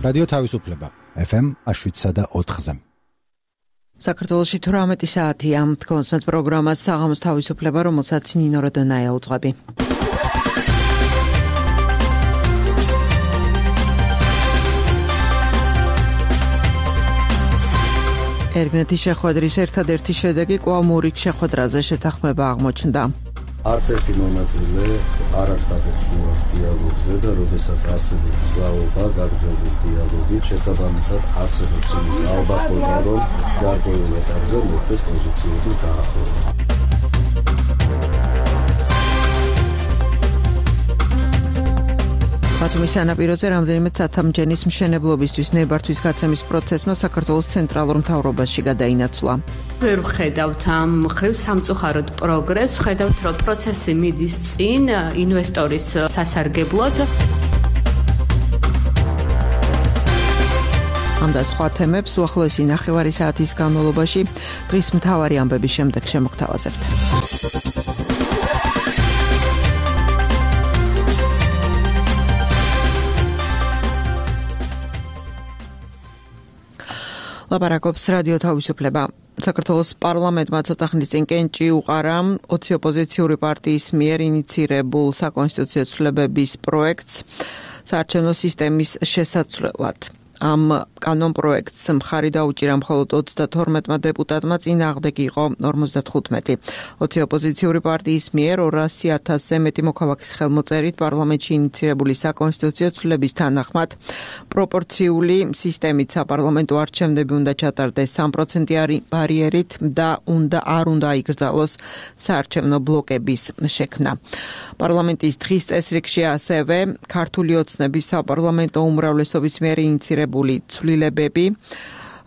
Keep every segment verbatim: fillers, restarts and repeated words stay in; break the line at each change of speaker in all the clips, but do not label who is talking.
რადიო თავისუფლება ეფ ემ შვიდსა და ოთხზე.
საქართველოში თვრამეტი საათია. თქვენს პროგრამას საღამოს თავისუფლება, რომელსაც ნინო როდონაია უძღვები. ერგნეთის შეხვედრის ერთადერთი შედეგი კვლავ მურიგ შეხვედრაზე შეთანხმება აღმოჩნდა.
არც ერთი მონაწილე არ აცხადებს უარს დიალოგზე და როდესაც არსებობს გზაობა გაგრძელდეს დიალოგი, შესაბამისად არსებობს იმის ალბათობა, რომ გარკვეულ ეტაპზე მოხდეს პოზიციების დაახლოება.
ბათუმის სანაპიროზე რამდენიმე ცათამბჯენის მშენებლობისთვის ნებართვის გაცემის პროცესმა საქართველოს ცენტრალურ მთავრობაში გადაინაცვლა.
ვერ ვხედავთ ამ მხრივ სამწუხაროდ პროგრესს, ვხედავთ, რომ პროცესი მიდის წინ ინვესტორის სასარგებლოდ. ამ და სხვა თემებს უახლოესი ნახევარი საათის განმავლობაში დღის მთავარი ამბების შემდეგ შემოგთავაზებთ. ლაპარაკობს რადიო თავისუფლება. საქართველოს პარლამენტმა ცოტა ხნის წინ კენჭი უყარა ოცი ოპოზიციური პარტიის მიერ ინიცირებულ საკონსტიტუციო ცვლილებების პროექტს საარჩევნო სისტემის შესაცვლელად. ამ კანონ პროექტს მხარი დაუჭირა მხოლოდ ოცდათორმეტმა დეპუტატმა, წინააღმდეგი იყო ორმოცდათხუთმეტი. ოცი ოპოზიციური პარტიის მიერ ორასი ათასზე მეტი მოქალაქის ხელმოწერით პარლამენტში ინიცირებული საკონსტიტუციო ცვლილების თანახმად პროპორციული სისტემით საპარლამენტო არჩევნები უნდა ჩატარდეს სამ პროცენტიანი ბარიერით და უნდა არ უნდა იგრძალოს საარჩევნო ბლოკების შექმნა. პარლამენტის დღის წესრიგში ასევე ქართული ოცნების საპარლამენტო უმრავლესობის მიერ ინიცირებული ცვლილებები,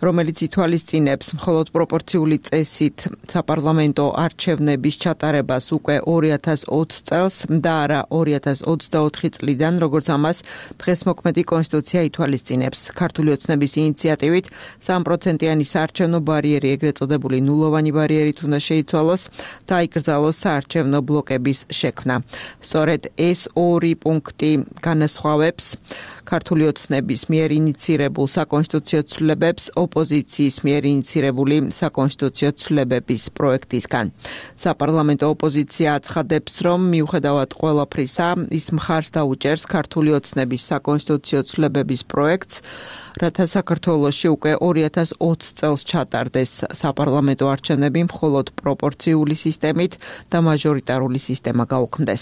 რომელიც ითვალისწინებს მხოლოდ პროპორციული წესით საპარლამენტო არჩევნების ჩატარებას უკვე ორი ათას ოცი წელს და არა ორი ათას ოცდაოთხი წლიდან, როგორც ამას დღეს მოქმედი კონსტიტუცია ითვალისწინებს. ქართული ოცნების ინიციატივით სამ პროცენტიანი საარჩევნო ბარიერი, ეგრეთ წოდებული ნულოვანი ბარიერით უნდა შეიცვალოს და იკრძალოს საარჩევნო ბლოკების შექმნა. სწორედ ეს ორი პუნქტი განასხვავებს ქართული ოცნების მიერ ინიცირებულ საკონსტიტუციო ცვლილებებს ოპოზიციის მიერ ინიცირებული საკონსტიტუციო ცვლილებების პროექტისგან. საპარლამენტო ოპოზიცია აცხადებს, რომ მიუხედავად ყველაფრისა, ის მხარს დაუჭერს ქართული ოცნების საკონსტიტუციო ცვლილებების პროექტს, რათა საქართველოში უკვე ორი ათას ოცი წელს ჩატარდეს საპარლამენტო არჩევნები მხოლოდ პროპორციული სისტემით და მაჟორიტარული სისტემა გაუქმდეს.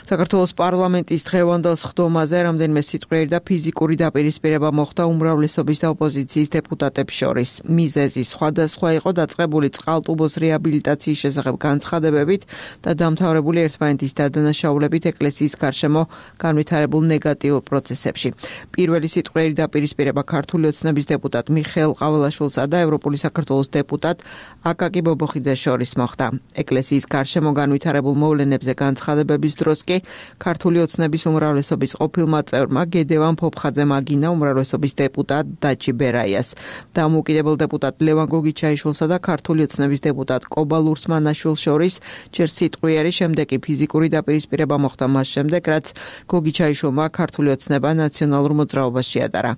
საქართველოს პარლამენტის დღევანდელ სხდომაზე რამდენიმე სიტყვიერი და ფიზიკური დაპირისპირება მოხდა უმრავლესობის და ოპოზიციის დეპუტატებს შორის. მიზეზი სხვადასხვა იყო დაწყებული წყალტუბოს რეაბილიტაციის შესახებ განცხადებებით და დამთავრებული ერთმანეთის დადანაშაულებით ეკლესიის გარშემო განვითარებულ ნეგატიურ პროცესებში. პირველი სიტყვიერი დაპირისპირება ქართული ოცნების დეპუტატ მიხეილ ყაველაშვილსა და ევროპული საქართველოს დეპუტატ აკაკი ბობოხიძეს შორის მოხდა. ეკლესიის გარშემო განვითარებულ მოვლენებზე განცხადებების დროს კი ქართული ოცნების უმრავლესობის ყოფილმა წევრმა გედევან ფოფხაძემ აგინა უმრავლესობის დეპუტატ დაჩი ბერაიას, დამოუკიდებელ დეპუტატ ლევან გოგიჩაიშვილსა და ქართული ოცნების დეპუტატ კობა ლურსმანაშვილს შორის ჯერ სიტყვიერი, შემდეგ კი ფიზიკური დაპირისპირება მოხდა მას შემდეგ, რაც გოგიჩაიშვილმა ქართული ოცნება ნაციონალურ მოძრაობას შეადარა.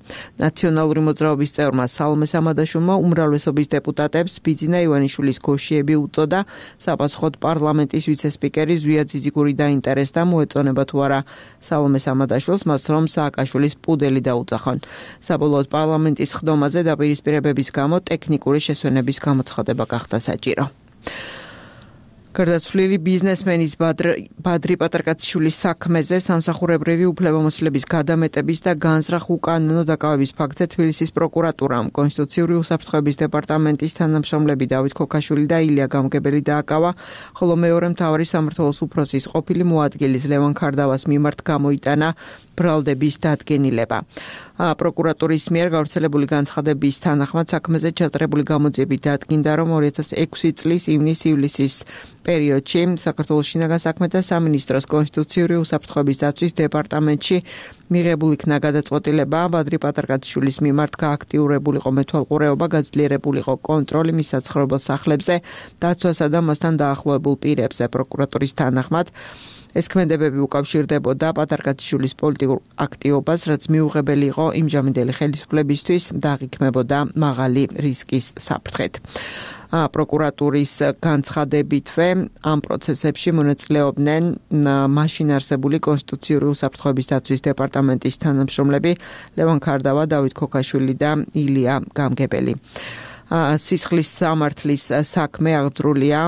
ნაციონალური მოძრაობის წევრმა სალომე სამადაშვილმა უმრავლესობის დეპუტატებს ბიძინა ივანიშვილის გოშიები უწოდა, საპასუხოდ პარლამენტის ვიცე-სპიკერი ზვია ძიძიგური დაინტერესდა, მოეწონება თუ არა სალომე სამადაშვილს მას, რომ სააკაშვილის პუდელი დაუძახონ. საბოლოოდ პარლამენტის სხდომაზე დაპირისპირებების გამო ტექნიკური შესვენების გამოცხადება გახდა საჭირო. გარდაცვლილი ბიზნესმენის ბადრი პატრკაციშვილის საქმეზე სამსახურებრივი უფლებამოსილების გადამეტების და განზრახ უკანონო დაკავების ფაქტზე თბილისის პროკურატურამ კონსტიტუციური უსაფრთხოების დეპარტამენტის თანამშრომლები დავით ქოქაშვილი და ილია გამგებელი დააკავა, ხოლო მეორე მთავარი სამმართველოს უფროსის ყოფილი მოადგილის ლევან ქარდავას მიმართ გამოიტანა ბრალდების დადგენილება. პროკურატურის მიერ გავრცელებული განცხადების თანახმად საქმეზე ჩატარებული გამოძიებით დადგინდა, რომ ორი ათას ექვსი წლის ივნის-ივლისის პერიოდში საქართველოს შინაგან საქმეთა სამინისტროს კონსტიტუციური უსაფრთხოების დაცვის დეპარტამენტში
მიღებული იქნა გადაწყვეტილება ბადრი პატარკაციშვილის მიმართ გააქტიურებულიყო მეთვალყურეობა, გაძლიერებულიყო კონტროლი მის საცხოვრებელ სახლებზე, დაცვასა და მასთან დაახლოებულ პირებზე. პროკურატურის თანახმად ეს ქმედებები უკავშირდებოდა პატარკაციშვილის პოლიტიკურ აქტივობას, რაც მიუღებელი იყო იმჟამინდელი ხელისუფლებისთვის და აღიქმებოდა მაღალი რისკის საფრთხეთ. პროკურატურის განცხადებითვე ამ პროცესებში მონაწილეობდნენ მაშინ არსებული კონსტიტუციური უსაფრთხოების დაცვის დეპარტამენტის თანამშრომლები ლევან ქარდავა, დავით ქოქაშვილი და ილია გამგებელი. სისხლის სამართლის საქმე აღძრულია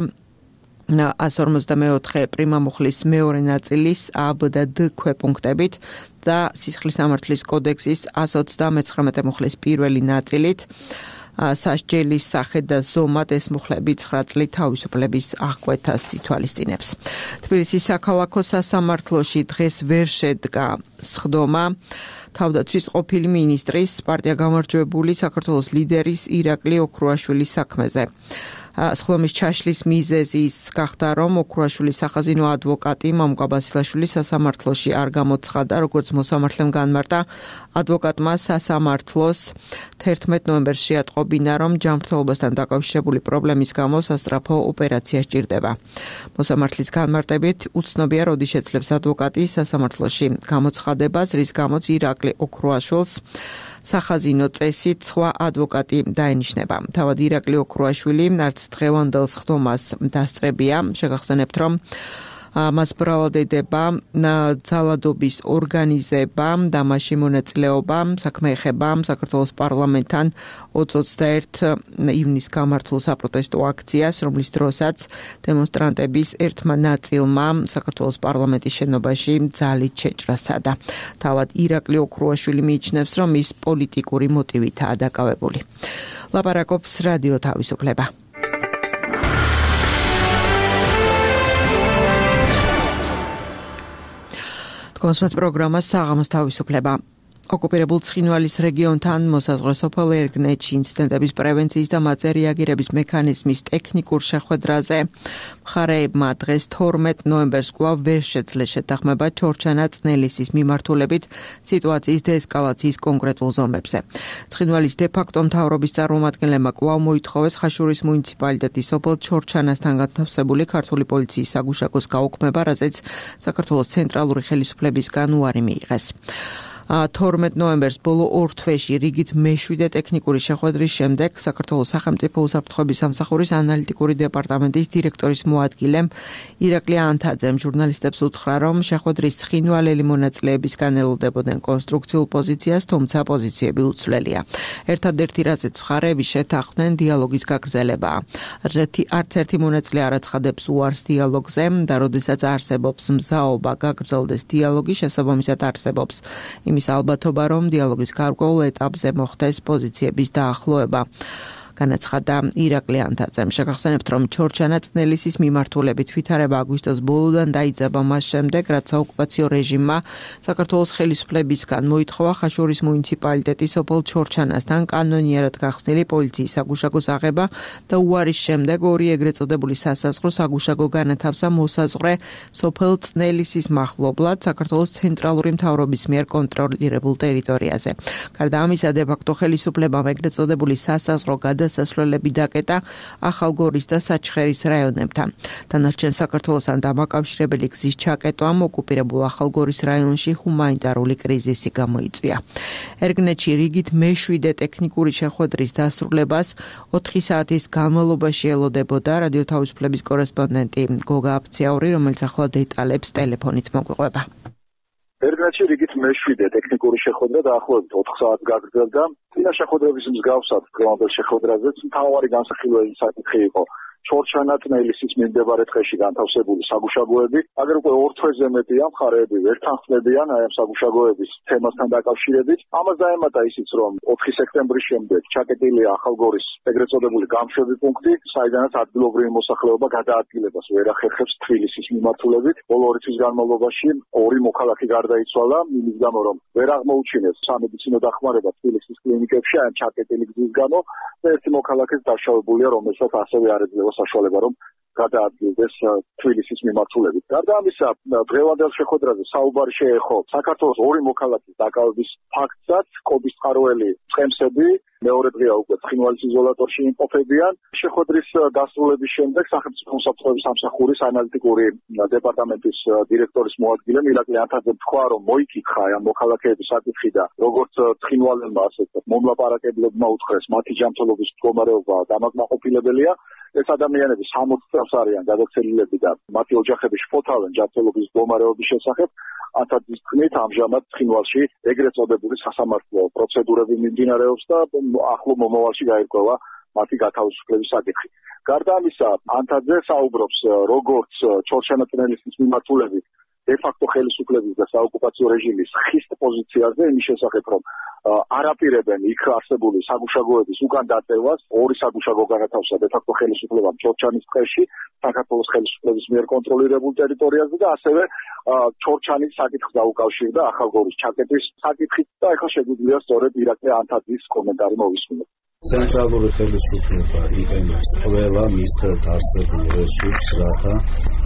ას ორმოცდამეოთხე პრიმამუხლის მეორე ნაწილის ა, ბ და დ ქვეპუნქტებით და სისხლის სამართლის კოდექსის ას ოცდამეცხრამეტე მუხლის პირველი ნაწილით. სასჯელის სახე და ზომად ეს მუხლები ცხრა წლით თავისუფლების აღკვეთას ითვალისწინებს. თბილისის საქალაქო სასამართლოში დღეს ვერ შედგა სხდომა თავდაცვის ყოფილი მინისტრის, პარტია გამარჯვებული საქართველოს ლიდერის ირაკლი ოქრუაშვილის საქმეზე. სხდომის ჩაშლის მიზეზი ის გახდა, რომ ოქრუაშვილის სახაზინო ადვოკატი მამუკა ბასილაშვილი სასამართლოში არ გამოცხადა, როგორც მოსამართლემ განმარტა. ადვოკატმა სასამართლოს თერთმეტ ნოემბერს შეატყობინა, რომ ჯანმრთელობასთან დაკავშირებული პრობლემის გამო სასწრაფო ოპერაცია სჭირდება. მოსამართლის განმარტებით უცნობია, როდი შეძლებს ადვოკატი სასამართლოში გამოცხადებას, რის გამოც ირაკლი ოქრუაშვილს სახაზინო წესით სხვა ადვოკატი დაენიშნება. თავად ირაკლი ოქრუაშვილი არც დღევანდელ სხდომას დასწრებია. შეგახსენებთ, რომ მას ბრალადდება ძალადობის ორგანიზება და მასში მონაწილეობა. საქმე ეხება საქართველოს პარლამენტთან ოცდაერთი ივნისს გამართულ საპროტესტო აქციას, რომლის დროსაც დემონსტრანტების ერთმა ნაწილმა საქართველოს პარლამენტის შენობაში ძალით შეჭრა სცადა. თავად ირაკლი ოქრუაშვილი მიიჩნევს, რომ ის პოლიტიკური მოტივითაა დაკავებული. ლაპარაკობს რადიო თავისუფლება. კონსმეთ პროგრამა საღამოს თავისუფლება. ოკუპირებულ ცხინვალის რეგიონთან მოსაზღვრე სოფელ ერგნეთში ინციდენტების პრევენციის და მათზე რეაგირების მექანიზმის ტექნიკურ შეხვედრაზე მხარეებმა დღეს თორმეტ ნოემბერს კვლავ ვერ შეძლეს შეთანხმება ჩორჩანა წნელისის მიმართულებით სიტუაციის დეესკალაციის კონკრეტულ ზომებზე. ცხინვალის დე-ფაქტო მთავრობის წარმომადგენლებმა კვლავ მოითხოვეს ხაშურის მუნიციპალიტეტის სოფელ ჩორჩანასთან განთავსებული ქართული პოლიციის საგუშაგოს გაუქმება, რაზეც საქართველოს ცენტრალური ხელისუფლებისგან უარი მიიღეს. თორმეტ ნოემბერს ბოლო ორ თვეში რიგით მეშვიდე ტექნიკური შეხვედრის შემდეგ საქართველოს სახელმწიფო უსაფრთხოების სამსახურის ანალიტიკური დეპარტამენტის დირექტორის მოადგილემ ირაკლი ანთაძემ ჟურნალისტებს უთხრა, რომ შეხვედრის ცხინვალელი მონაწილეებისგან ელოდებოდნენ კონსტრუქციულ პოზიციას, თუმცა პოზიციები უცვლელია. ერთადერთი რაზეც მხარეები შეთანხმდნენ დიალოგის გაგრძელებაა. არც ერთი მონაწილე არ აცხადებს უარს დიალოგზე და როდესაც არსებობს მზაობა გაგრძელდეს დიალოგი, შესაბამისად არსებობს იმის ალბათობა, რომ დიალოგის გარკვეულ ეტაპზე მოხდეს პოზიციების დაახლოება. განაცხადა ირაკლი ანთაძემ. შეგახსენებთ, რომ ჩორჩანა წნელისის მიმართულებით ვითარება აგვისტოს ბოლოდან დაიძაბა მას შემდეგ, რაც საოკუპაციო რეჟიმმა საქართველოს ხელისუფლებისგან მოითხოვა ხაშურის მუნიციპალიტეტის სოფელ ჩორჩანასთან კანონიერად გახსნილი პოლიციის საგუშაგოს აღება და უარის შემდეგ ორი ეგრეთ წოდებული სასაზღვრო საგუშაგო განათავსა მოსაზღვრე სოფელ წნელისის მახლობლად საქართველოს ცენტრალური მთავრობის მიერ კონტროლირებულ ტერიტორიაზე. გარდა ამისა, დე-ფაქტო ხელისუფლებამ ეგრეთ წოდებული სასაზღვრო გადასასვლელები დაკეტა ახალგორის და საჩხერის რაიონებთან. დანარჩენ საქართველოსთან დამაკავშირებელი გზის ჩაკეტვამ ოკუპირებულ ახალგორის რაიონში ჰუმანიტარული კრიზისი გამოიწვია. ერგნეთში რიგით მეშვიდე ტექნიკური შეხვედრის დასრულებას ოთხი საათის განმავლობაში ელოდებოდა რადიო თავისუფლების კორესპონდენტი გოგა აფციაური, რომელიც ახლა დეტალებს ტელეფონით მოგვიყვება.
ერგნეთში რიგით მეშვიდე ტექნიკური შეხვედრა დაახლოებით ოთხ საათს გაგრძელდა. წინა შეხვედრების მსგავსად დღევანდელ შეხვედრაზეც მთავარი განსახილველი საკითხი იყო ჩორჩანა წნელისის მიმდებარე ტყეში განთავსებული საგუშაგოები. აგერ უკვე ორ თვეზე მეტია მხარეები ვერ თანხმდებიან აი ამ საგუშაგოების თემასთან დაკავშირებით. ამას დაემატა ისიც, რომ ოთხი სექტემბრის შემდეგ ჩაკეტილია ახალგორის ეგრეთ წოდებული გამშვები პუნქტი, საიდანაც ადგილობრივი მოსახლეობა გადაადგილებას ვერ ახერხებს თბილისის მიმართულებით. ბოლო ორი თვის განმავლობაში ორი მოქალაქე გარდაიცვალა, იმის გამო, რომ ვერ აღმოუჩინეს სამედიცინო დახმარება თბილისის კლინიკებში აი ჩაკეტილი გზის გამო და ერთი მოქალაქეც დაშავებულია, რომელსაც ასევე არ ეძლევა იქნება საშუალება, რომ გადაადგილდეს თბილისის მიმართულებით. გარდა ამისა, დღევანდელ შეხვედრაზე საუბარი შეეხო საქართველოს ორი მოქალაქის დაკავების ფაქტსაც, კობის წყაროელი წემსები მეორე დღეა უკვე ცხინვალის იზოლატორში იმყოფებიან. შეხვედრის დასრულების შემდეგ სახელმწიფო უსაფრთხოების სამსახურის ანალიტიკური დეპარტამენტის დირექტორის მოადგილე მილაკი ანთაძემ თქვა, რომ მოიკითხა ამ მოქალაქეების საკითხი და როგორც ცხინვალელმა, ასე მომლაპარაკებლებმა უთხრეს, მათი ჯანმრთელობის მდგომარეობა დამაკმაყოფილებელია. ეს ადამიანები სამოცი წელს არიან გადაცელილები და მათი ოჯახები შფოთავენ ჯანმრთელობის მდგომარეობის შესახებ. ანთაძის თქმით, ამჟამად ცხინვალში ეგრეთ წოდებული სასამართლო პროცედურები მიმდინარეობს და ახლო მომავალში გაირკვევა მათი გათავისუფლების საკითხი. გარდა ამისა, ანთაძე საუბრობს, როგორც ჩორჩანაწნელისთვის მიმართულებით დე-ფაქტო ხელისუფლების და საოკუპაციო რეჟიმის ხისტ პოზიციაზე, იმის შესახებ, რომ არ აპირებენ იქ არსებული საგუშაგოების უკან დაწევას, ორი საგუშაგო განათავსა დე-ფაქტო ხელისუფლებამ ჩორჩანის ტყეში, საქართველოს ხელისუფლების მიერ კონტროლირებულ ტერიტორიაზე და ასევე ჩორჩანის საკითხს დაუკავშირდა ახალგორის ჩაკეტვის საკითხით და ეხლა შეგვიძლია სწორედ ირაკლი ანთაძის კომენტარი მოვისმინოთ.
ცენტრალური ხელისუფლება იყენებს ყველა მის ხელთ არსებულ რესურსს, რათა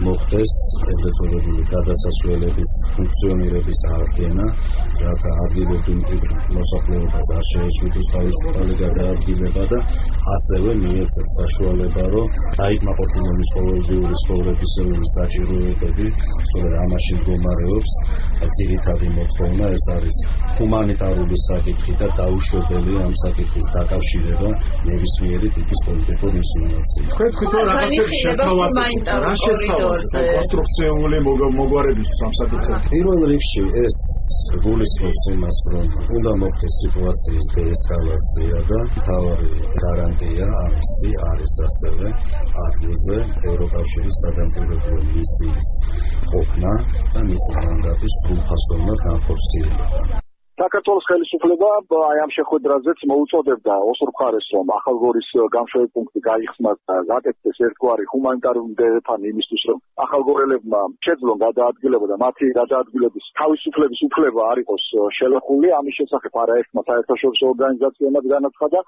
მოხდეს ეგრეთ წოდებული გადასასვლელების ფუნქციონირების აღდგენა, რათა ადგილობრივ მოსახლეობას არ შეეჩვიდოს თავისუფალი გადაადგილება და ასევე მიეცეთ საშუალება, რომ დაიკმაყოფილოს ყოველდღიური ცხოვრების საჭიროებები, სწორედ ამაში მდგომარეობს ძირითადი მოთხოვნა, ეს არის ჰუმანიტარული საკითხი და დაუშვებელი ამ საკითხის დაკავშირება ნებისმიერი ტიპის პოლიტიკურ ინსინუაციით.
თქვენ თქვით, რომ რაღაცა შეთავაზეთ, რა შეთავაზეთ კონსტრუქციული მოგვარებისთვის ამ საკითხზე.
პირველ რიგში ეს გულისხმობს იმას, რომ უნდა მოხდეს სიტუაციის დეესკალაცია და მთავარი გარანტია ამისი არის ასევე ადგილზე ევროკავშირის სადამკვირვებლო მისიის ყოფნა და მისი მანდატის სრულფასოვნად განხორციელება.
საქართველოს ხელისუფლება აი ამ შეხვედრაზეც მოუწოდებდა ოსურ მხარეს, რომ ახალგორის გამშვები პუნქტი გაიხსნას და გაკეთდეს ერთგვარი ჰუმანიტარული დეფანი იმისთვის, რომ ახალგორელებმა შეძლონ გადაადგილება და მათი გადაადგილების თავისუფლების უფლება არ იყოს შელეხული. ამის შესახებ არაერთმა საერთაშორისო ორგანიზაციამ განაცხადა.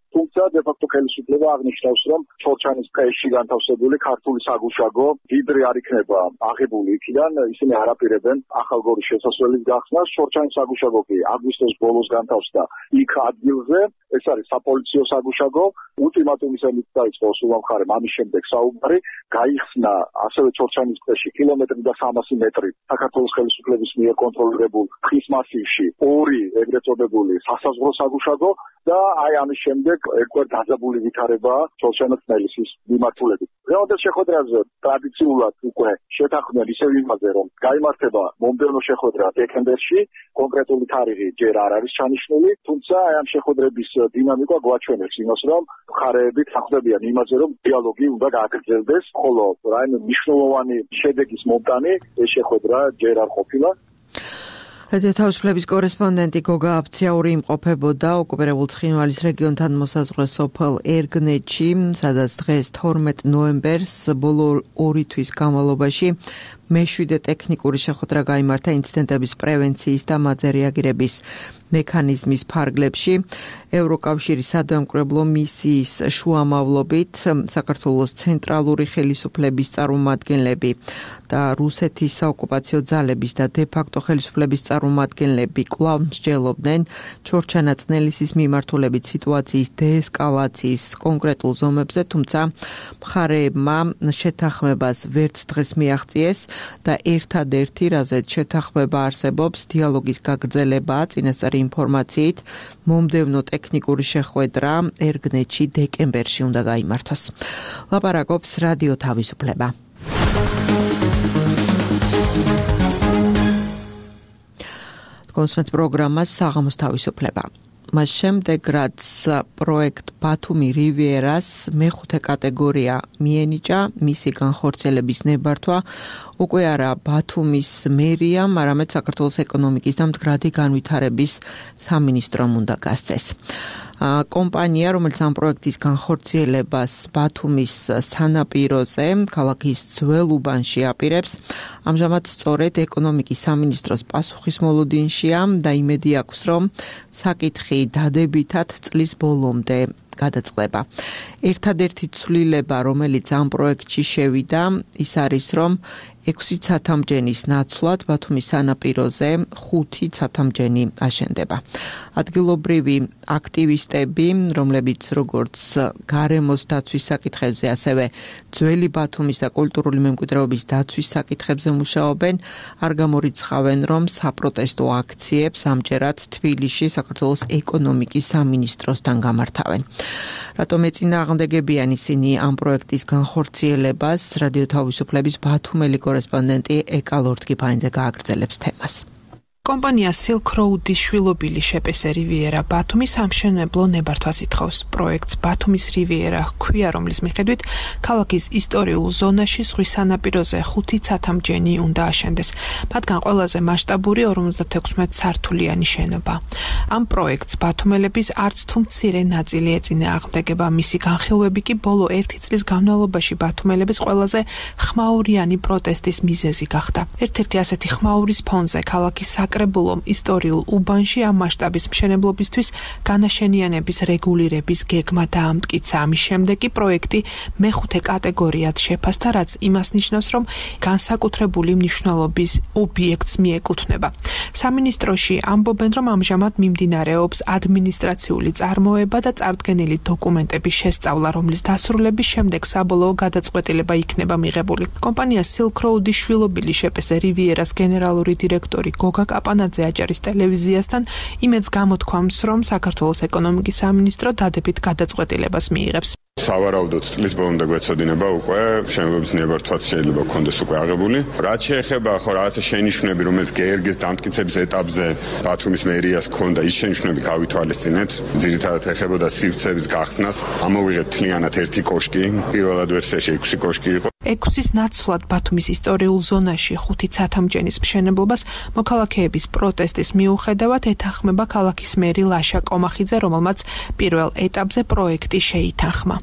თუმცა დე-ფაქტო ხელისუფლება აღნიშნავს, რომ ჩორჩანის ტყეში განთავსებული ქართული საგუშაგო ვიდრე არ იქნება აღებული იქიდან, ისინი არ აპირებენ ახალგორის შესასვლელის გახსნას. ჩორჩანის საგუშაგო კი აგვისტოს ბოლოს განთავსდა იქ ადგილზე, ეს არის საპოლიციო საგუშაგო. ულტიმატუმის ემით დაიწყო ოსურმა მხარემ ამის შემდეგ საუბარი, გაიხსნა ასევე ჩორჩანის ტყეში კილომეტრი და სამასი მეტრი საქართველოს ხელისუფლების მიერ კონტროლირებულ ტყის მასივში ორი ეგრეთ წოდებული სასაზღვრო საგუშაგო და აი ამის შემდეგ ერთგვარ დაძაბული ვითარებაა ჩორჩანაწნელისის მიმართულებით. დღევანდელ შეხვედრაზე ტრადიციულად უკვე შეთანხმდნენ ისევ იმაზე, რომ გაიმართება მომდევნო შეხვედრა დეკემბერში, კონკრეტული თარიღი ჯერ არ არის ჩანიშნული, თუმცა აი ამ შეხვედრების დინამიკა გვაჩვენებს იმას, რომ მხარეები თანხმდებიან იმაზე, რომ დიალოგი უნდა გააგრძელდეს, ხოლო რაიმე მნიშვნელოვანი შედეგის მომტანი ეს შეხვედრა ჯერ არ ყოფილა.
რადიო თავისუფლების კორესპონდენტი გოგა აბცაური იმყოფებოდა ოკუპირებულ ცხინვალის რეგიონთან მოსაზღვრე სოფელ ერგნეთში, სადაც დღეს თორმეტ ნოემბერს ბოლო ორი თვის განმავლობაში მეშვიდე ტექნიკური შეხვედრა გაიმართა ინციდენტების პრევენციის და მათზე რეაგირების მექანიზმის ფარგლებში. ევროკავშირის სადამკვირვებლო მისიის შუამავლობით საქართველოს ცენტრალური ხელისუფლების წარმომადგენლები და რუსეთის საოკუპაციო ძალების და დე-ფაქტო ხელისუფლების წარმომადგენლები კვლავ მსჯელობდნენ ჩორჩანაწნელისის მიმართულებით სიტუაციის დეესკალაციის კონკრეტულ ზომებზე, თუმცა მხარეებმა შეთანხმებას ვერც დღეს მიაღწიეს და ერთადერთი, რაზეც შეთანხმება არსებობს, დიალოგის გაგრძელებაა. წინასწარი ინფორმაციით, მომდევნო ტექნიკური შეხვედრა ერგნეთში დეკემბერში უნდა გაიმართოს. ლაპარაკობს რადიო თავისუფლება. კონსმეთ პროგრამას საღამოს თავისუფლება. მას შემდეგ, რაც პროექტ ბათუმი რივიერას მეხუთე კატეგორია მიენიჭა, მისი განხორციელების ნებართვა უკვე არა ბათუმის მერიამ, არამედ საქართველოს ეკონომიკის და მდგრადი განვითარების სამინისტრომ უნდა გასცეს. კომპანია, რომელიც ამ პროექტის განხორციელებას ბათუმის სანაპიროზე, ქალაქის ძველ უბანში აპირებს, ამჟამად სწორედ ეკონომიკის სამინისტროს პასუხისმოლოდინშია და იმედი აქვს, რომ საკითხი დადებითად წლის ბოლომდე გადაწყდება. ერთადერთი ცვლილება, რომელიც ამ პროექტში შევიდა, ის არის, რომ ექვსი ცათამბჯენის ნაცვლად ბათუმის სანაპიროზე ხუთი ცათამბჯენი აშენდება. ადგილობრივი აქტივისტები, რომლებიც როგორც გარემოს დაცვის საკითხებზე, ასევე ძველი ბათუმის და კულტურული მემკვიდრეობის დაცვის საკითხებზე მუშაობენ, არ გამორიცხავენ, რომ საპროტესტო აქციებს ამჯერად თბილისში საქართველოს ეკონომიკის სამინისტროსთან გამართავენ. რატომ ეწინააღმდეგებიან ისინი ამ პროექტის განხორციელებას, რადიო თავისუფლების ბათუმელი კორესპონდენტი ეკა ლორთგიფანიძე გააგრძელებს თემას.
კომპანია Silk Road-ის შვილობილი შეპესე რივიერა ბათუმის სამშენებლო ნებართვას ითხოვს. პროექტს ბათუმის რივიერა ჰქვია, რომლის მიხედვით ქალაქის ისტორიულ ზონაში ზღვის სანაპიროზე ხუთი ცათამბჯენი უნდა აშენდეს. მათგან ყველაზე მასშტაბური ორმოცდათექვსმეტ სართულიანი შენობა. ამ პროექტს ბათუმელების არც თუ მცირე ნაწილი ეწინააღმდეგება. მისი განხილვები კი ბოლო ერთი წლის განმავლობაში ბათუმელების ყველაზე ხმაურიანი პროტესტის მიზეზი გახდა. ერთ-ერთი ასეთი ხმაურის ფონზე ქალაქის საკრებულომ ისტორიულ უბანში ამ მასშტაბის მშენებლობისთვის განაშენიანების რეგულირების გეგმა დაამტკიცა. ამის შემდეგ კი პროექტი მეხუთე კატეგორიად შეფასდა, რაც იმას ნიშნავს, რომ განსაკუთრებული მნიშვნელობის ობიექტს მიეკუთვნება. სამინისტროში ამბობენ, რომ ამჟამად მიმდინარეობს ადმინისტრაციული წარმოება და წარდგენილი დოკუმენტების შესწავლა, რომლის დასრულების შემდეგ საბოლოო გადაწყვეტილება იქნება მიღებული. კომპანია Silk Road-ის შვილობილი შეპესე რივიერას გენერალური დირექტორი გოგა კაპანაძე აჭარის ტელევიზიასთან იმედს გამოთქვამს, რომ საქართველოს ეკონომიკის სამინისტრო დადებით გადაწყვეტილებას მიიღებს.
სავარაუდოდ წლის ბოლომდე გვეცოდინება უკვე მშენებლობის ნებართვაც შეიძლება გქონდეს უკვე აღებული. რაც შეეხება ხო რაღაცა შენიშვნები, რომელიც გერგის დამტკიცების ეტაპზე ბათუმის მერიას ჰქონდა, ის შენიშვნები გავითვალისწინეთ. ძირითადად ეხებოდა სივრცეების გახსნას. ამოვიღეთ მთლიანად ერთი კოშკი, პირველად ვერსიაში ექვსი კოშკი იყო.
ექვსის ნაცვლად ბათუმის ისტორიულ ზონაში ხუთი ცათამბჯენის მშენებლობას მოქალაქეების პროტესტის მიუხედავად ეთანხმება ქალაქის მერი ლაშა კომახიძე, რომელმაც პირველ ეტაპზე პროექტი შეითანხმა.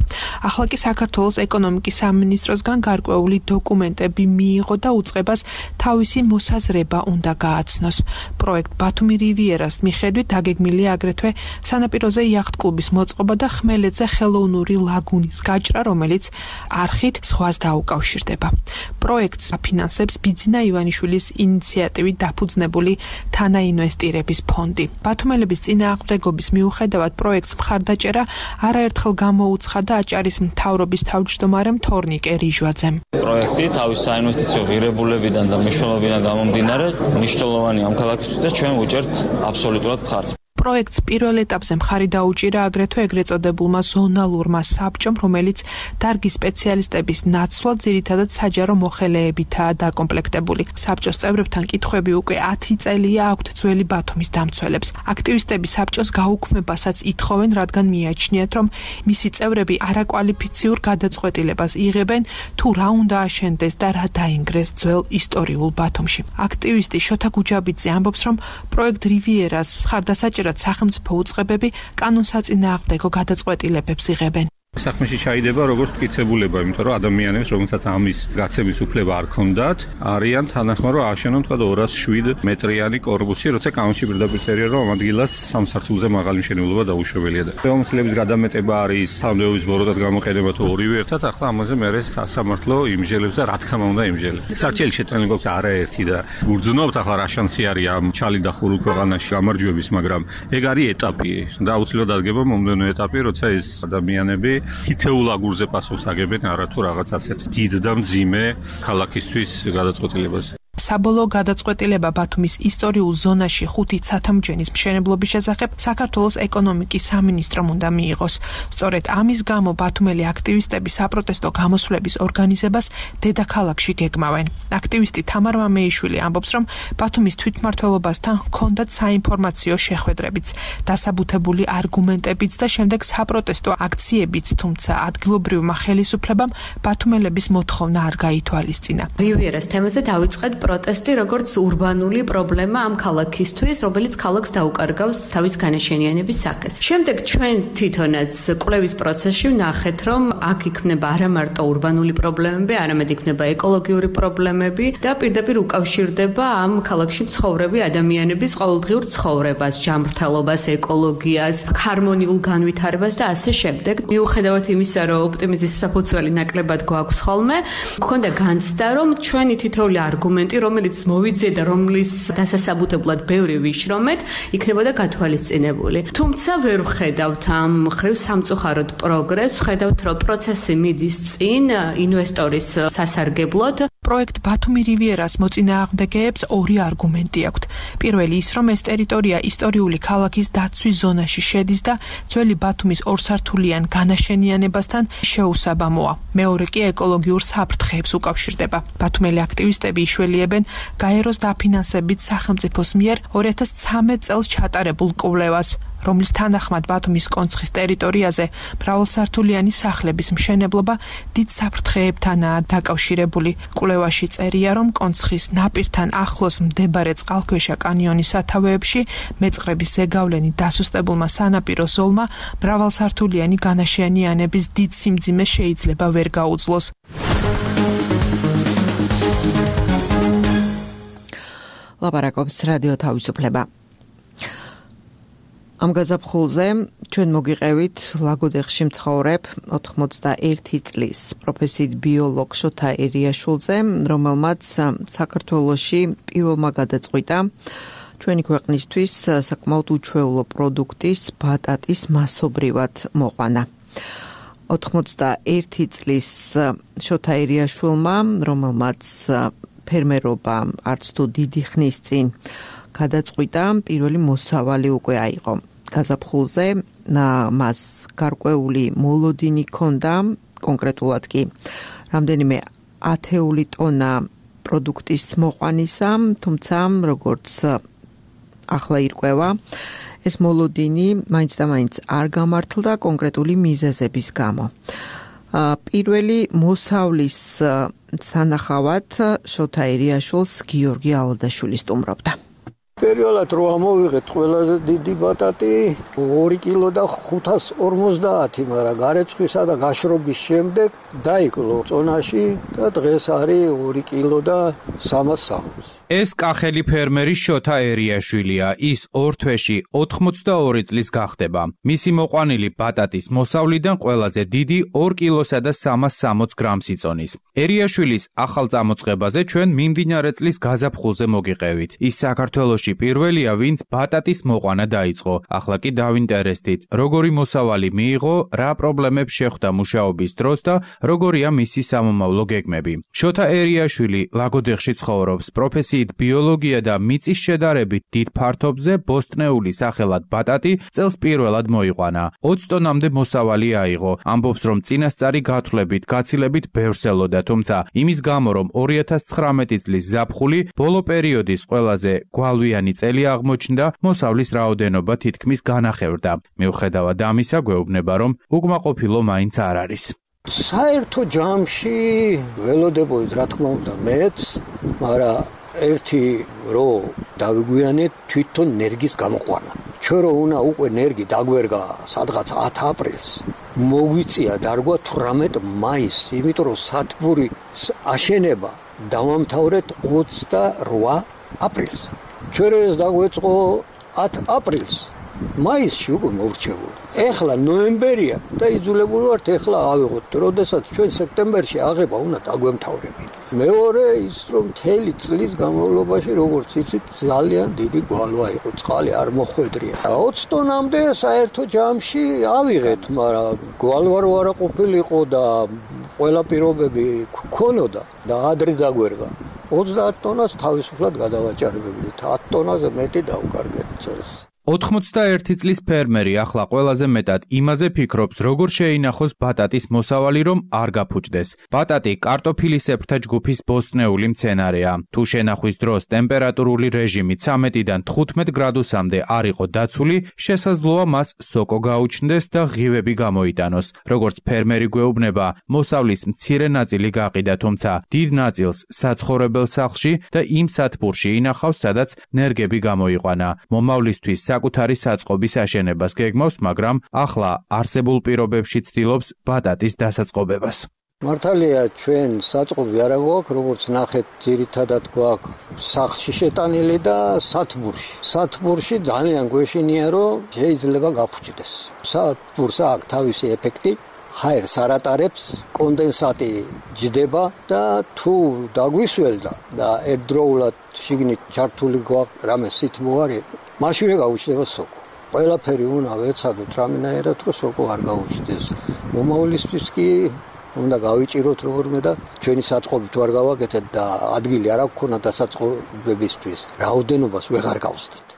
ახლა კი საქართველოს ეკონომიკის სამინისტროსგან გარკვეული დოკუმენტები მიიღო და უწყებას თავისი მოსაზრება უნდა გააცნოს. პროექტ ბათუმი რივიერას მიხედვით დაგეგმილია აგრეთვე სანაპიროზე იახტ-კლუბის მოწყობა და ხმელეთზე ხელოვნური ლაგუნის გაჭრა, რომელიც არხით ზღვას დაუკავშირდება. პროექტს აფინანსებს ბიძინა ივანიშვილის ინიციატივით დაფუძნებული თანაინვესტირების ფონდი. ბათუმელების წინააღმდეგობის მიუხედავად პროექტს მხარდაჭერა არაერთხელ გამოუცხადა აჭარის მთავრობის თავმჯდომარემ თორნიკე რიჟვაძემ.
პროექტი თავის საინვესტიციო ღირებულებიდან და მნიშვნელობიდან გამომდინარე მნიშვნელოვანი ამ ქალაქისთვის და ჩვენ ვუჭერთ აბსოლუტურად მხარს.
პროექტს პირველ ეტაპზე მხარი დაუჭირა აგრეთვე ეგრეთ წოდებულმა ზონალურმა საბჭომ, რომელიც დარგის სპეციალისტების ნაცვლად ძირითადად საჯარო მოხელეებითაა დაკომპლექტებული. საბჭოს წევრებთან კითხვები უკვე ათი წელია აქვთ ძველი ბათუმის დამცველებს. აქტივისტები საბჭოს გაუქმებასაც ითხოვენ, რადგან მიაჩნიათ, რომ მისი წევრები არაკვალიფიციურ გადაწყვეტილებას იღებენ, თუ რა უნდა აშენდეს და რა დაინგრეს ძველ ისტორიულ ბათუმში. აქტივისტი შოთა გუჯაბიძე ამბობს, რომ პროექტ რივიერას მხარდასაჭერად სახელმწიფო უწყებები კანონსაწინააღმდეგო გადაწყვეტილებებს იღებენ.
საქმეში ჩაიდება როგორც მტკიცებულება, იმიტომ რომ ადამიანებს, რომელსაც ამის გაცემის უფლება არ ჰქონდათ, არიან თანახმა რომ ააშენონ თქვა ორას შვიდ მეტრიანი კორპუსი, როცა კანონში პირდაპირ წერია რომ ამ ადგილას სამ სართულზე მაღალი მშენებლობა დაუშვებელია და ხელმისაწვდომის გადამეტება არის სამდეობის ბოროტად გამოყენება თუ ორივე ერთად, ახლა ამაზე მე სასამართლო იმჟელებს და რა თქმა უნდა იმჟელებს. სარჩელი შეტანება გვაქვს არაერთი და გურძნობთ ახლა რა შანსი არის ამ ჩალი დახურულ ქვეყანაში გამარჯვების, მაგრამ ეგ არის ეტაპი და აუცილებლად ადგება მომდენო ეტაპი, როცა ეს ადამიანები თითეულ აგურზე პასუხს აგებენ არათუ რაღაც ასეთ დიდ და მძიმე ქალაქისთვის გადაწყვეტილებას.
საბოლოო გადაწყვეტილება ბათუმის ისტორიულ ზონაში ხუთი ცათამბჯენის მშენებლობის შესახებ საქართველოს ეკონომიკის სამინისტრომ უნდა მიიღოს. სწორედ ამის გამო ბათუმელი აქტივისტები საპროტესტო გამოსვლების ორგანიზებას დედაქალაქში გეგმავენ. აქტივისტი თამარ მამეიშვილი ამბობს, რომ ბათუმის თვითმმართველობასთან ჰქონდათ საინფორმაციო შეხვედრებიც, დასაბუთებული არგუმენტებიც და შემდეგ საპროტესტო აქციებიც, თუმცა ადგილობრივმა ხელისუფლებამ ბათუმელების მოთხოვნა არ გაითვალისწინა.
რივიერას თემაზე დავიწყეთ პროტესტი როგორც ურბანული პრობლემა ამ ქალაქისთვის, რომელიც ქალაქს დაუკარგავს თავის განაშენიანების სახეს. შემდეგ ჩვენ თვითონაც კვლევის პროცესში ვნახეთ, რომ აქ იქნება არა მარტო ურბანული პრობლემები, არამედ იქნება ეკოლოგიური პრობლემები და პირდაპირ უკავშირდება ამ ქალაქში მცხოვრები ადამიანების ყოველდღიურ ცხოვრებას, ჯანმრთელობას, ეკოლოგიას, ჰარმონიულ განვითარებას და ასე შემდეგ. მიუხედავად იმისა, რომ ოპტიმიზმის საფუძველი ნაკლებად გვაქვს ხოლმე, გქონდა განცდა, რომ ჩვენი თითოეული არგუმენტი, რომელიც მოვიძიე და რომლის დასასაბუთებლად ბევრი ვიშრომეთ, იქნებოდა გათვალისწინებული. თუმცა ვერ ვხედავთ ამ მხრივ სამწუხაროდ პროგრესს, ვხედავთ, რომ პროცესი მიდის წინ ინვესტორის სასარგებლოდ.
პროექტ ბათუმი რივიერას მოწინააღმდეგეებს ორი არგუმენტი აქვთ. პირველი ის, რომ ეს ტერიტორია ისტორიული ქალაქის დაცვის ზონაში შედის და ძველი ბათუმის ორსართულიან განაშენიანებასთან შეუსაბამოა. მეორე კი ეკოლოგიურ საფრთხეებს უკავშირდება. ბათუმელი აქტივისტები იშველიებენ გაეროს დაფინანსებით სახელმწიფოს მიერ ორი ათას ცხრამეტ წელს ჩატარებულ კვლევას, რომლის თანახმად ბათუმის კონცხის ტერიტორიაზე მრავალსართულიანი სახლების მშენებლობა დიდ საფრთხეებთანაა დაკავშირებული. კვლევაში წერია, რომ კონცხის ნაპირთან ახლოს მდებარე წყალქვეშა კანიონის სათავეებში მეწყრების ზეგავლენი დასუსტებულმა სანაპირო ზოლმა მრავალსართულიანი განაშენიანების დიდ სიმძიმეს შეიძლება ვერ გაუძლოს.
ლაპარაკობს რადიო თავისუფლება. ამ გაზაფხულზე ჩვენ მოგიყევით ლაგოდეხში მცხოვრებ ოთხმოცდაერთი წლის პროფესიით ბიოლოგ შოთა ერიაშვილზე, რომელმაც საქართველოში პირველმა გადაწყვიტა ჩვენი ქვეყნისთვის საკმაოდ უჩვეულო პროდუქტის ბატატის მასობრივად მოყვანა. ოთხმოცდაერთი წლის შოთა ერიაშვილმა, რომელმაც ფერმერობა არც თუ დიდი ხნის წინ გადაწყვიტა, პირველი მოსავალი უკვე აიღო. გაზაფხულზე მას გარკვეული მოლოდინი ჰქონდა, კონკრეტულად კი რამდენიმე ათეული ტონა პროდუქტის მოყვანისა, თუმცა როგორც ახლა ირკვევა, ეს მოლოდინი მაინც და მაინც არ გამართლდა კონკრეტული მიზეზების გამო. პირველი მოსავლის სანახავად შოთა ერიაშვილს გიორგი ალადაშვილი სტუმრობდა.
პირველად რო ამოვიღეთ ყველაზე დიდი ბატატი ორი კილო და ხუთას ორმოცდაათი, მაგრამ გარეცხვისა და გაშრობის შემდეგ დაიკლო წონაში და დღეს არის ორი კილო და სამას სამოცი.
ეს კახელი ფერმერი შოთა ერიაშვილია. ის ორ თვეში ოთხმოცდაორი წლის გახდება. მისი მოყვანილი ბატატის მოსავლიდან ყველაზე დიდი ორ კილოსა და სამას სამოცი გრამს იწონის. ერიაშვილის ახალ წამოწყებაზე ჩვენ მიმდინარე წლის გაზაფხულზე მოგიყევით. ის საქართველოში პირველია, ვინც ბატატის მოყვანა დაიწყო. ახლა კი დავინტერესდით, როგორი მოსავალი მიიღო, რა პრობლემებს შეხვდა მუშაობის დროს და როგორია მისი სამომავლო გეგმები. შოთა ერიაშვილი ლაგოდეხში ცხოვრობს. პროფესიით ბიოლოგია და მიწის შედარებით დიდ ფართობზე ბოსტნეული სახელად ბატატი წელს პირველად მოიყვანა. ოცი ტონამდე მოსავალი აიღო. ამბობს, რომ წინასწარი გათვლებით, გაცილებით ბევრს ელოდა, თუმცა იმის გამო, რომ ორი ათას ცხრამეტი წლის ზაფხული ბოლო პერიოდის ყველაზე გვალვიანი წელი აღმოჩნდა, მოსავლის რაოდენობა თითქმის განახევრდა. მიუხედავად ამისა, გვეუბნება, რომ უკმაყოფილო მაინც არ არის.
საერთო ჯამში ველოდებოდი, რა თქმა უნდა, მეც, მაგრამ ერთი რო დავიგვიანეთ თვითონ ნერგის გამოყვანა. ჩვენ რო უნდა უკვე ნერგი დაგვერგა სადღაც ათი აპრილს. მოგვიწია დარგვა თვრამეტ მაისს, იმიტომ რომ სათბური აშენება დავამთავრეთ ოცდარვა აპრილს. ჩვენ ეს დაგვეწყო ათი აპრილს. მაისში უკვე მოვრჩებოდი. ეხლა ნოემბერია და იძულებული ვართ ეხლა ავიღოთ, როდესაც ჩვენ სექტემბერში აღება უნდა დაგვემთავრებინათ. მეორე ის რომ მთელი წლის განმავლობაში როგორც იცით ძალიან დიდი გვალვა იყო, წყალი არ მოხვედრია. ოცი ტონამდე საერთო ჯამში ავიღეთ, მაგრამ გვალვა რო არა ყოფილიყო და ყველა პირობები გქონოდა და ადრე დაგვერგა. ოცდაათ ტონას თავისუფლად გადავაჭარბებდით, ათი ტონაზე მეტი დავკარგეთ წელს.
ოთხმოცდაერთი წლის ფერმერი ახლა ყველაზე მეტად იმაზე ფიქრობს, როგორ შეინახოს ბატატის მოსავალი, რომ არ გაფუჭდეს. ბატატი კარტოფილისებრთა ჯგუფის ბოსტნეული მცენარეა. თუ შენახვის დროს ტემპერატურული რეჟიმი ცამეტიდან თხუთმეტ გრადუსამდე არ იყო დაცული, შესაძლოა მას სოკო გაუჩნდეს და ღივები გამოიტანოს. როგორც ფერმერი გვეუბნება, მოსავლის მცირე ნაწილი გაყიდა, თუმცა დიდ ნაწილს საცხოვრებელ სახლში და იმ სათბურში ინახავს, სადაც ნერგები გამოიყვანა. მომავლისთვის საკუთარი საწყობის აშენებას გეგმავს, მაგრამ ახლა არსებულ პირობებში ცდილობს ბატატის დასაწყობებას.
მართალია, ჩვენ საწყობი არა გვაქვს, როგორც ნახეთ, ძირითადად გვაქვს სახლში შეტანილი და სათბურში. სათბურში ძალიან გვეშინია, რომ შეიძლება გაფუჭდეს. სათბურს აქვს თავისი ეფექტი, ჰაერს არ ატარებს, კონდენსატი ჯდება და თუ დაგვისველდა და ერთდროულად შიგნით ჩართული გვაქვს რამე სითბო არის, მაშინვე გაუჩნდება სოკო. ყველაფერი უნდა ვეცადოთ რამენაირად, რომ სოკო არ გაუჩნდეს. მომავლისთვის კი უნდა გავიჭიროთ როგორმე და ჩვენი საწყობი თუ არ გავაკეთეთ და ადგილი არ აქვს დასაწყობებისთვის, რაოდენობას ვეღარ გავსდით.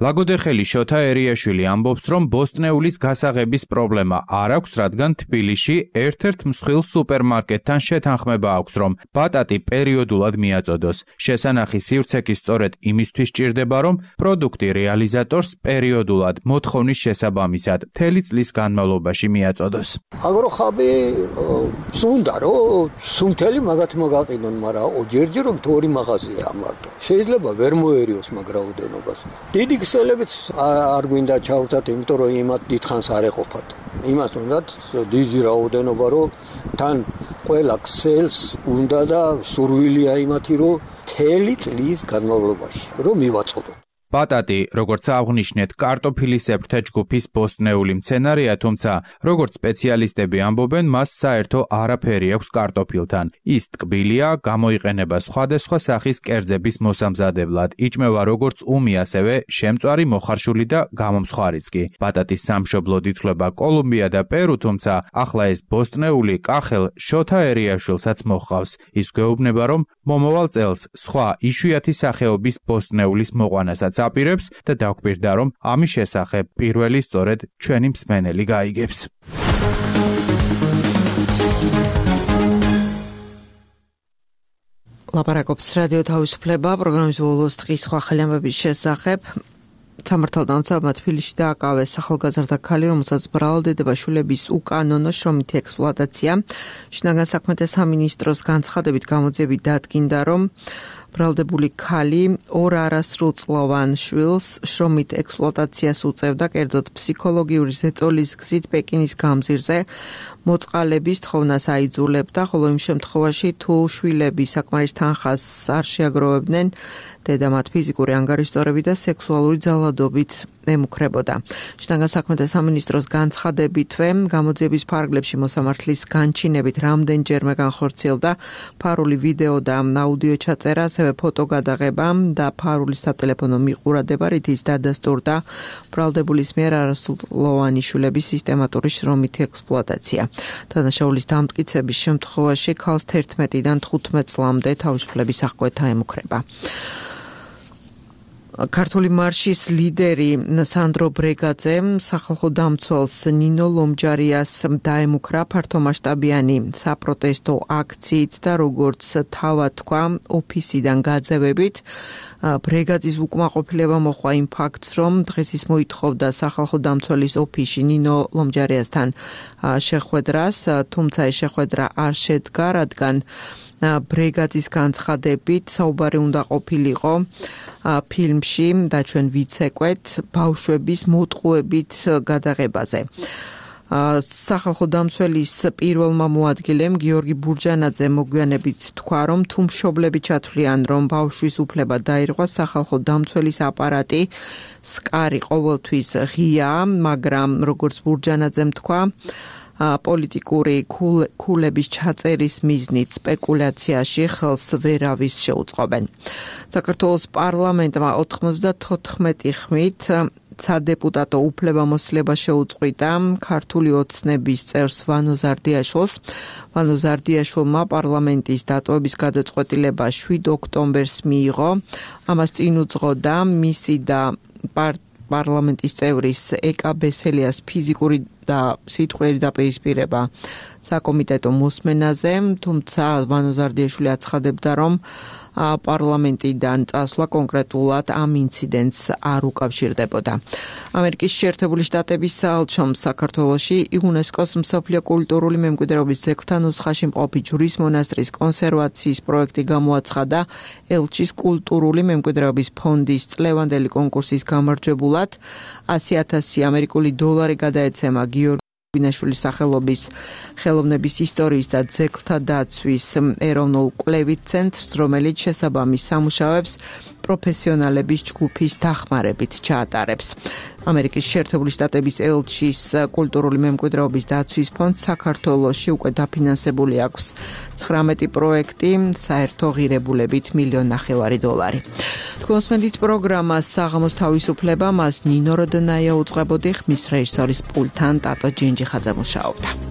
ლაგოდეხელი შოთა ერიაშვილი ამბობს, რომ ბოსტნეულის გასაღების პრობლემა არ აქვს, რადგან თბილისში ერთ-ერთ მსხვილ სუპერმარკეტთან შეთანხმება აქვს, რომ ბატატი პერიოდულად მიაწოდოს. შესანახი სივრცე კი სწორედ იმისთვის ჭირდება, რომ პროდუქტი რეალიზატორს პერიოდულად მოთხოვნის შესაბამისად მთელი წლის განმავლობაში მიაწოდოს.
აგროხაბი უნდა რომ სუნთელი მაგათ მოგაყიდონ, მაგრამ ჯერჯერობით ორი მაღაზია მარტო. შეიძლება ვერ მოერიოს მაგ რაოდენობას. დიდი ქსელებიც არ გვინდა ჩავთათ, იმიტომ რომ იმათ დიდხანს არ ეყოფათ. იმათ უნდათ დიდი რაოდენობა, რომ თან ყველა ქსელს უნდა და სურვილია იმათი, რომ მთელი წლის განმავლობაში რომ მივაწყდოთ.
ბატატი, როგორც აღნიშნეთ, კარტოფილისებრთა ჯგუფის ბოსტნეული მცენარეა, თუმცა, როგორც სპეციალისტები ამბობენ, მას საერთო არაფერი აქვს კარტოფილთან. ის ტკბილია, გამოიყენება სხვადასხვა სახის კერძების მოსამზადებლად, იჭმევა როგორც უმი, ასევე შემწვარი, მოხარშული და გამომცხვარიც კი. ბატატის სამშობლოდ ითვლება კოლუმბია და პერუ, თუმცა ახლა ეს ბოსტნეული კახელ შოთა ერიაშვილსაც მოჰყავს. ის გვეუბნება, რომ მომავალ წელს სხვა იშვიათი სახეობის ბოსტნეულის მოყვანასაც აპირებს და დაგვირდა, რომ ამის შესახებ პირველი სწორედ ჩვენი მსმენელი გაიგებს.
ლაპარაკობს რადიო თავისუფლება, პროგრამის ბოლოს დღის სხვა ახალი ამბების შესახებ. სამართალდამცავმა თბილისში დააკავეს ახალგაზრდა ქალი, რომელსაც ბრალდებაშვილების უკანონო შრომითი ექსპლუატაცია. შინაგან საქმეთა სამინისტროს განცხადებით გამოძიებით დადგინდა, რომ ბრალდებული ქალი ორ არასრულწლოვან შვილს შრომით ექსპლუატაციას უწევდა, კერძოდ ფსიქოლოგიური ზეწოლის გზით პეკინის გამზირზე მოწყალების თხოვნას აიძულებდა, ხოლო იმ შემთხვევაში თუ შვილები საკმარის თანხას არ შეაგროვებდნენ, დედა მათ ფიზიკური ანგარიშწორებით და სექსუალური ძალადობით ემუქრებოდა. შინაგან საქმეთა სამინისტროს განცხადებითვე გამოძიების ფარგლებში მოსამართლის განჩინებით რამდენჯერმე განხორციელდა ფარული ვიდეო და აუდიო ჩაწერა, ასევე ფოტოგადაღება და ფარულის სატელეფონო მიყურადება, რით ის დადასტურდა ბრალდებულის მიერ არასრულოვანი შვილების სისტემატური შრომითი ექსპლუატაცია. დანაშაულის დამტკიცების შემთხვევაში ქალს თერთმეტიდან თხუთმეტ წლამდე თავისუფლების აღკვეთა ემუქრება. ქართული მარშის ლიდერი სანდრო ბრეგაძე სახალხო დამცველს ნინო ლომჯარიას დაემუქრა ფართომასშტაბიანი საპროტესტო აქციით და როგორც თავად თქვა ოფისიდან გაძევებით. ბრეგაძის უკმაყოფილება მოჰყვა იმ ფაქტს, რომ დღეს ის მოითხოვდა სახალხო დამცველის ოფისში ნინო ლომჯარიასთან შეხვედრას, თუმცა ეს შეხვედრა არ შედგა, რადგან ბრეგაძის განცხადებით საუბარი უნდა ყოფილიყო ფილმში და ჩვენ ვიცეკვეთ ბავშვების მოტყუებით გადაღებაზე. სახალხო დამცველის პირველმა მოადგილემ გიორგი ბურჯანაძე მოგვიანებით თქვა, რომ თუ მშობლები ჩათვლიან, რომ ბავშვის უფლება დაირღვა, სახალხო დამცველის აპარატი სკარი ყოველთვის ღიაა, მაგრამ როგორც ბურჯანაძემ თქვა, პოლიტიკური ქულების ჩაწერის მიზნით სპეკულაციაში ხელს ვერავის შეუწყობენ. საქართველოს პარლამენტმა ოთხმოცდათოთხმეტი ხმით სადეპუტატო უფლებამოსილება შეუწყვიტა ქართული ოცნების წევრს ვანო ზარდიაშვილს. ვანო ზარდიაშვილმა პარლამენტის დატოვების გადაწყვეტილება შვიდ ოქტომბერს მიიღო. ამას წინ უძღოდა მისი და პარლამენტის წევრის ეკა ბესელიას ფიზიკური და სიტყვიერი დაპირისპირება საკომიტეტო მოსმენაზე, თუმცა ვანო ზარდიაშვილი აცხადებდა, რომ პარლამენტიდან წასვლა კონკრეტულად ამ ინციდენტს არ უკავშირდებოდა. ამერიკის შეერთებული შტატების საელჩომ საქართველოში იუნესკოს მსოფლიო კულტურული მემკვიდრეობის ძეგლთა ნუსხაში მყოფი ჯვრის მონასტრის კონსერვაციის პროექტი გამოაცხადა ელჩის კულტურული მემკვიდრეობის ფონდის წლევანდელი კონკურსის გამარჯვებულად. ასი ათასი ამერიკული დოლარი გადაეცემა გიორგი ბინაშვილის სახელობის ხელოვნების ისტორიის და ძეგლთა დაცვის ეროვნულ კვლევით ცენტრს, რომელიც შესაბამის სამუშაოებს პროფესიონალების ჯგუფის დახმარებით ჩაატარებს. ამერიკის შეერთებული შტატების ელჩის კულტურული მემკვიდრეობის დაცვის ფონდს საქართველოში უკვე დაფინანსებული აქვს ცხრამეტი პროექტი, საერთო ღირებულებით მილიონ ნახევარი დოლარი. თქვენს მენდით პროგრამას საღამოს თავისუფლება, მას ნინო როდნაია უწყებოდი, ხმის რეჟისორის პულტთან ტატო ჯინჯიხაძე მუშაობდა.